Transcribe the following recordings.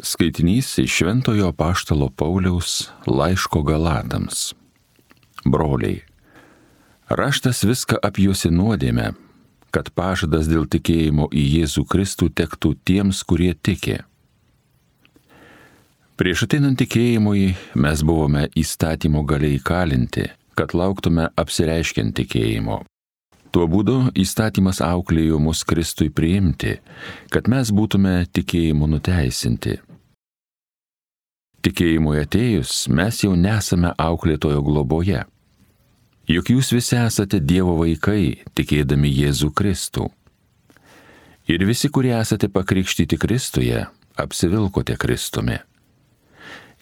Skaitinys iš Šventojo Apaštalo Pauliaus laiško Galatams. Broliai, raštas viską apjuosi nuodėmę, kad pažadas dėl tikėjimo į Jėzų Kristų tektų tiems, kurie tiki. Prieš ateinant tikėjimui mes buvome įstatymo galia įkalinti, kad lauktume apsireiškiant tikėjimo. Tuo būdu įstatymas auklėjo mus Kristui priimti, kad mes būtume tikėjimu nuteisinti. Tikėjimui atėjus mes jau nesame auklėtojo globoje. Juk jūs visi esate Dievo vaikai, tikėdami Jėzų Kristų. Ir visi, kurie esate pakrikštyti Kristuje, apsivilkote Kristumi.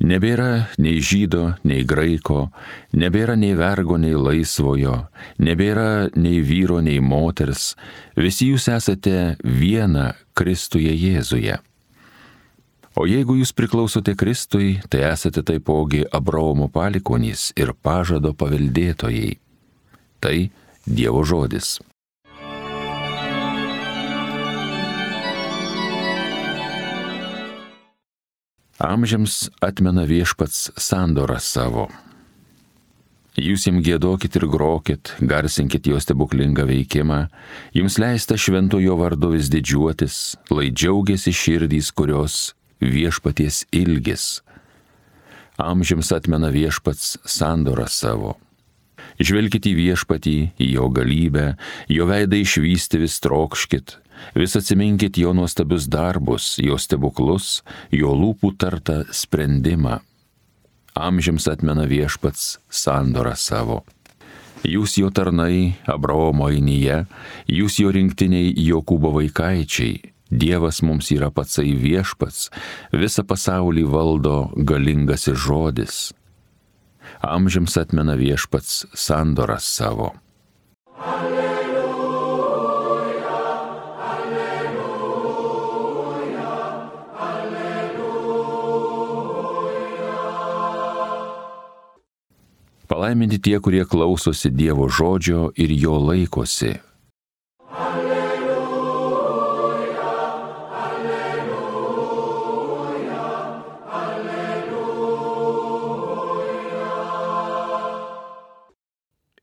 Nebėra nei žydo, nei graiko, nebėra nei vergo, nei laisvojo, nebėra nei vyro, nei moters, visi jūs esate viena Kristuje Jėzuje. O jeigu jūs priklausote Kristui, tai esate taipogi Abraomo palikuonys ir pažado paveldėtojai. Tai Dievo žodis. Amžiams atmena Viešpats sandorą savo. Jūs jam giedokit ir grokit, garsinkit jo stebuklingą veikimą, jums leista šventojo vardu vis didžiuotis, lai džiaugiasi širdys, kurios Viešpaties ilgis. Amžiams atmena Viešpats sandorą savo. Žvelkit į Viešpatį, į jo galybę, jo veidą išvysti vis trokškit, vis atsiminkit jo nuostabius darbus, jo stebuklus, jo lūpų tartą sprendimą. Amžiams atmena Viešpats sandorą savo. Jūs jo tarnai, Abraomo ainyje, jūs jo rinktiniai Jokūbo vaikaičiai. Dievas mums yra patsai Viešpats, visą pasaulį valdo galingasis žodis. Amžiams atmena Viešpats sandorą savo. Alleluja, alleluja, alleluja. Palaiminti tie, kurie klausosi Dievo žodžio ir jo laikosi.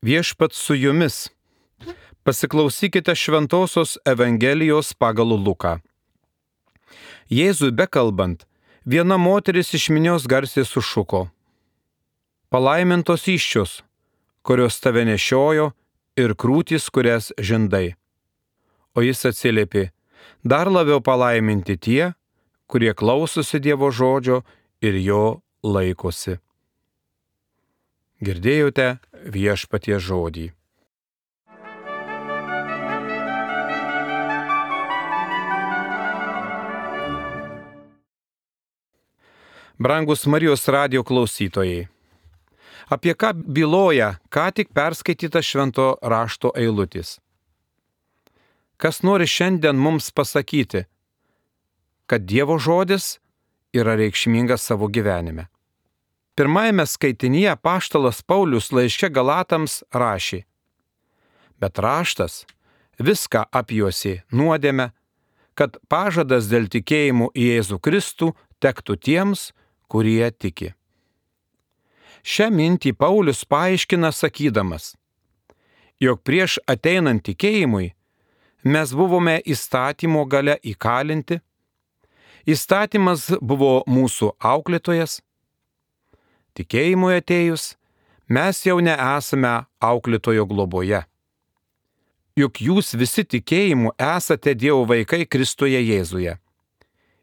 Viešpats su jumis. Pasiklausykite Šventosios Evangelijos pagal Luką. Jėzui bekalbant, viena moteris iš minios garsiai sušuko: Palaimintos įsčios, kurios tave nešiojo, ir krūtys, kurias žindai. O jis atsiliepė: dar labiau palaiminti tie, kurie klausosi Dievo žodžio ir jo laikosi. Girdėjote Viešpaties žodį. Brangus Marijos radijo klausytojai, apie ką byloja ką tik perskaityta švento rašto eilutės? Kas nori šiandien mums pasakyti, kad Dievo žodis yra reikšmingas savo gyvenime? Pirmajame skaitinyje apaštalas Paulius laiške Galatams rašė: bet raštas viską apjuosė nuodėmę, kad pažadas dėl tikėjimo į Jėzų Kristų tektų tiems, kurie tiki. Šią mintį Paulius paaiškina sakydamas, jog prieš ateinant tikėjimui mes buvome įstatymo galia įkalinti, įstatymas buvo mūsų auklėtojas, tikėjimui atėjus mes jau nesame auklėtojo globoje. Juk jūs visi tikėjimu esate Dievo vaikai Kristuje Jėzuje.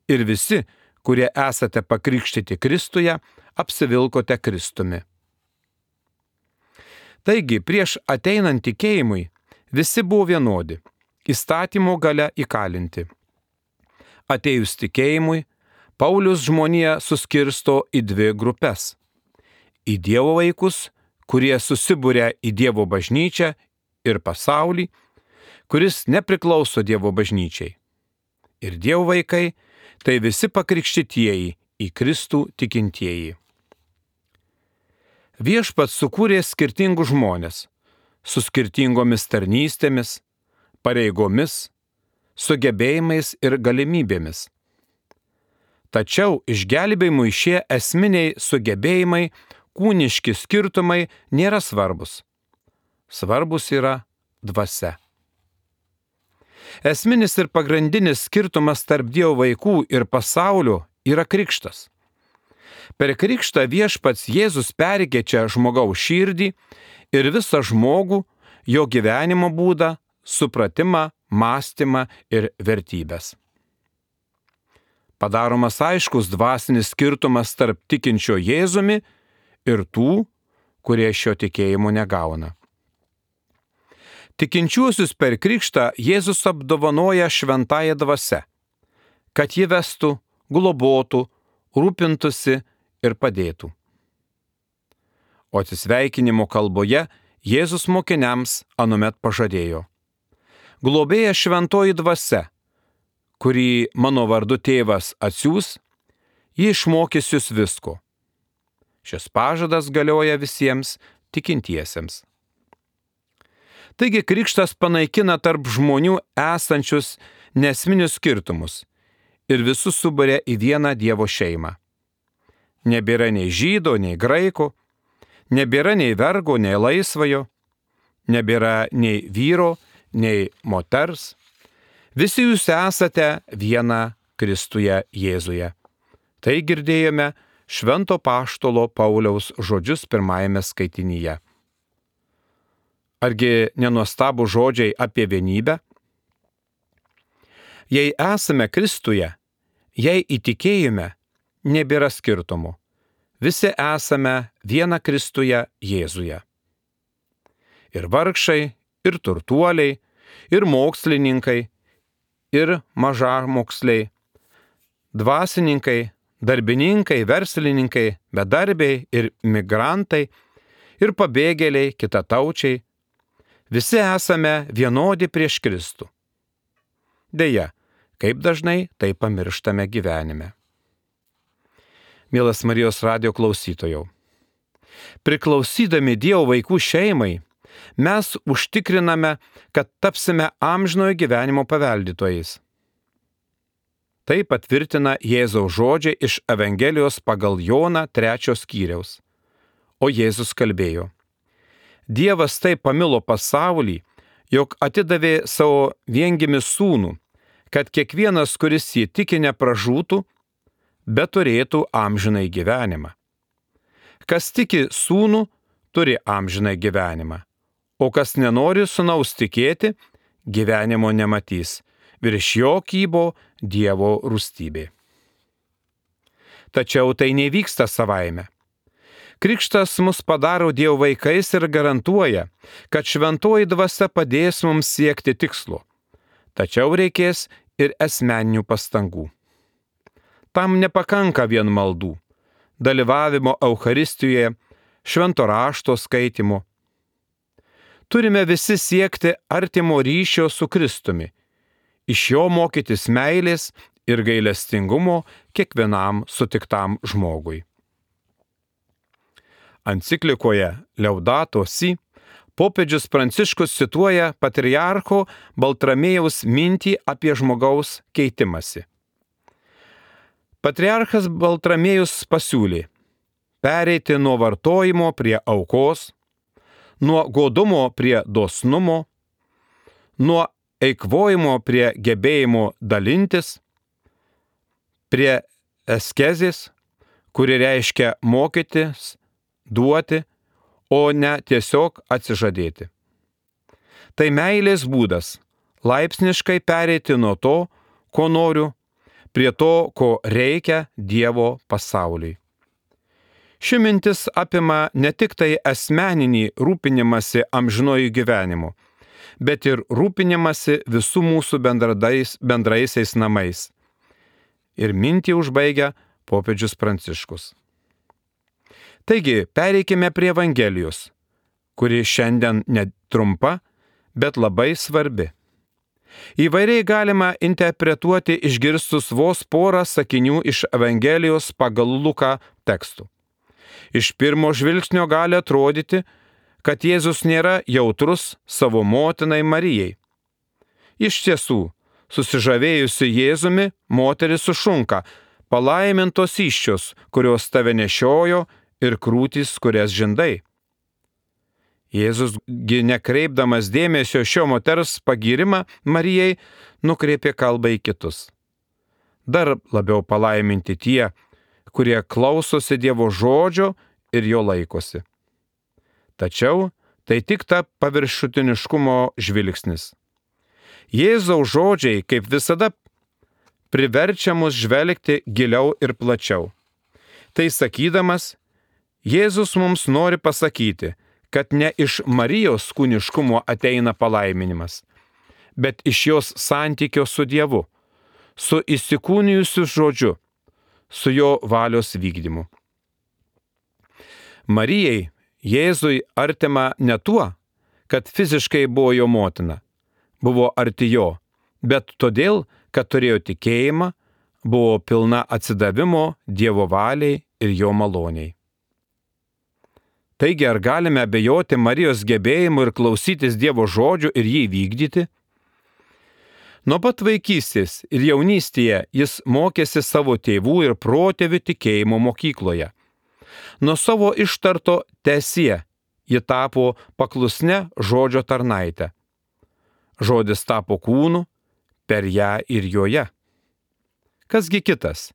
Ir visi, kurie esate pakrikštyti Kristuje, apsivilkote Kristumi. Taigi, prieš ateinant tikėjimui visi buvo vienodi, įstatymo galia įkalinti. Atėjus tikėjimui, Paulius žmoniją suskirsto į dvi grupes: į Dievo vaikus, kurie susibūrė į Dievo bažnyčią, ir pasaulį, kuris nepriklauso Dievo bažnyčiai. Ir Dievo vaikai tai visi pakrikštytieji į Kristų tikintieji. Viešpats sukūrė skirtingus žmones, su skirtingomis tarnystėmis, pareigomis, sugebėjimais ir galimybėmis. Tačiau išgelbėjimui šie esminiai sugebėjimai, kūniški skirtumai nėra svarbus. Svarbus yra dvasia. Esminis ir pagrindinis skirtumas tarp Dievo vaikų ir pasaulio yra krikštas. Per krikštą Viešpats Jėzus perkeičia žmogaus širdį ir visą žmogų, jo gyvenimo būdą, supratimą, mąstymą ir vertybės. Padaromas aiškus dvasinis skirtumas tarp tikinčio Jėzumi ir tų, kurie šio tikėjimo negauna. Tikinčiuosius per krikštą Jėzus apdovanoja šventąją dvasią, kad ji vestų, globotų, rūpintųsi ir padėtų. O atsisveikinimo kalboje Jėzus mokiniams anuomet pažadėjo: globėja šventoji dvasia, kurį mano vardu tėvas atsiųs, ji išmokys jūs visko. Šis pažadas galioja visiems tikintiesiems. Taigi krikštas panaikina tarp žmonių esančius nesminius skirtumus ir visus suburia į vieną Dievo šeimą. Nebėra nei žydo, nei graiko, nebėra nei vergo, nei laisvojo, nebėra nei vyro, nei moters. Visi jūs esate viena Kristuje Jėzuje. Tai girdėjome Švento Apaštalo Pauliaus žodžius pirmajame skaitinyje. Argi nenuostabų žodžiai apie vienybę? Jei esame Kristuje, jei įtikėjime, nebėra skirtumų. Visi esame viena Kristuje Jėzuje. Ir vargšai, ir turtuoliai, ir mokslininkai, ir mažamoksliai, dvasininkai, darbininkai, verslininkai, bedarbiai ir migrantai, ir pabėgėliai, kitataučiai. Visi esame vienodi prieš Kristų. Deja, kaip dažnai tai pamirštame gyvenime. Mielas Marijos radijo klausytojau, priklausydami Dievo vaikų šeimai, mes užtikriname, kad tapsime amžinojo gyvenimo paveldytojais. Tai patvirtina Jėzaus žodžiai iš Evangelijos pagal Joną 3 skyriaus. O Jėzus kalbėjo: Dievas taip pamilo pasaulį, jog atidavė savo viengimį sūnų, kad kiekvienas, kuris jį tiki, nepražūtų, bet turėtų amžinai gyvenimą. Kas tiki sūnų, turi amžinai gyvenimą, o kas nenori sūnaus tikėti, gyvenimo nematys, virš jo kybo Dievo rūstybė. Tačiau tai nevyksta savaime. Krikštas mus padaro Dievo vaikais ir garantuoja, kad šventoji dvasia padės mums siekti tikslo. Tačiau reikės ir asmeninių pastangų. Tam nepakanka vien maldų, dalyvavimo Eucharistijoje, švento rašto skaitimo. Turime visi siekti artimo ryšio su Kristumi, iš jo mokytis meilės ir gailestingumo kiekvienam sutiktam žmogui. Enciklikoje Laudato Si popiežius Pranciškus cituoja patriarcho Baltramiejaus mintį apie žmogaus keitimąsi. Patriarchas Baltramiejus pasiūlė pereiti nuo vartojimo prie aukos, nuo godumo prie dosnumo, nuo eikvojimo prie gebėjimo dalintis, prie askezės, kuri reiškia mokytis, duoti, o ne tiesiog atsižadėti. Tai meilės būdas laipsniškai pereiti nuo to, ko noriu, prie to, ko reikia Dievo pasauliui. Ši mintis apima ne tik tai asmeninį rūpinimąsi amžinojų gyvenimu, bet ir rūpinimąsi visų mūsų bendraisiais namais. Ir mintį užbaigia popiežius Pranciškus. Taigi, pereikime prie Evangelijos, kuri šiandien netrumpa, bet labai svarbi. Įvairiai galima interpretuoti išgirstus vos porą sakinių iš Evangelijos pagal Luką tekstų. Iš pirmo žvilgsnio gali atrodyti, kad Jėzus nėra jautrus savo motinai Marijai. Iš tiesų, susižavėjusi Jėzumi, moteris sušunka: palaimintos įsčios, kurios tave nešiojo, ir krūtys, kurias žindai. Jėzusgi nekreipdamas dėmesio šio moters pagyrimą Marijai, nukreipė kalbą į kitus. Dar labiau palaiminti tie, kurie klausosi Dievo žodžio ir jo laikosi. Tačiau tai tik ta paviršutiniškumo žvilgsnis. Jėzaus žodžiai, kaip visada, priverčia mus žvelgti giliau ir plačiau. Tai sakydamas, Jėzus mums nori pasakyti, kad ne iš Marijos kūniškumo ateina palaiminimas, bet iš jos santykio su Dievu, su įsikūnijusiu žodžiu, su jo valios vykdymu. Marijai Jėzui artima ne tuo, kad fiziškai buvo jo motina, buvo arti jo, bet todėl, kad turėjo tikėjimą, buvo pilna atsidavimo Dievo valiai ir jo maloniai. Taigi, ar galime abejoti Marijos gebėjimu ir klausytis Dievo žodžių ir jį vykdyti? Nuo pat vaikystės ir jaunystėje jis mokėsi savo tėvų ir protėvių tikėjimo mokykloje. Nuo savo ištarto teesie ji tapo paklusne žodžio tarnaite. Žodis tapo kūnu per ją ir joje. Kasgi kitas,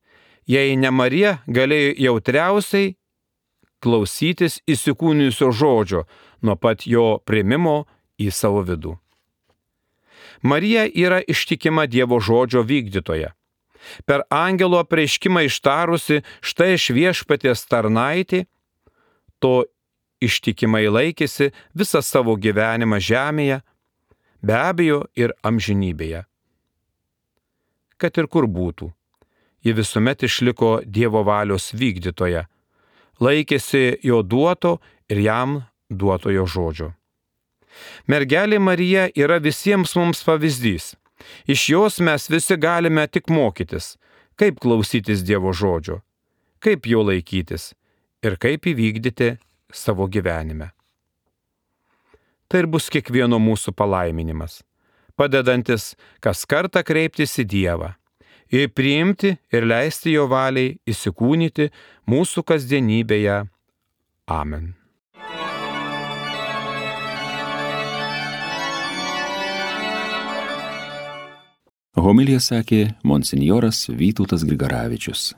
jei ne Marija galėjo jautriausiai klausytis įsikūnijusio žodžio nuo pat jo priėmimo į savo vidų. Marija yra ištikima Dievo žodžio vykdytoja. Per angelo apreiškimą ištarusi štai iš viešpaties tarnaitė, to ištikimai laikėsi visą savo gyvenimą žemėje, be abejo ir amžinybėje. Kad ir kur būtų, ji visuomet išliko Dievo valios vykdytoja, laikėsi jo duoto ir jam duotojo žodžio. Mergelė Marija yra visiems mums pavyzdys. Iš jos mes visi galime tik mokytis, kaip klausytis Dievo žodžio, kaip jo laikytis ir kaip įvykdyti savo gyvenime. Tai ir bus kiekvieno mūsų palaiminimas, padedantis kas kartą kreiptis į Dievą ir priimti ir leisti jo valiai įsikūnyti mūsų kasdienybėje. Amen. Homiliją sakė monsinjoras Vytautas Grigaravičius.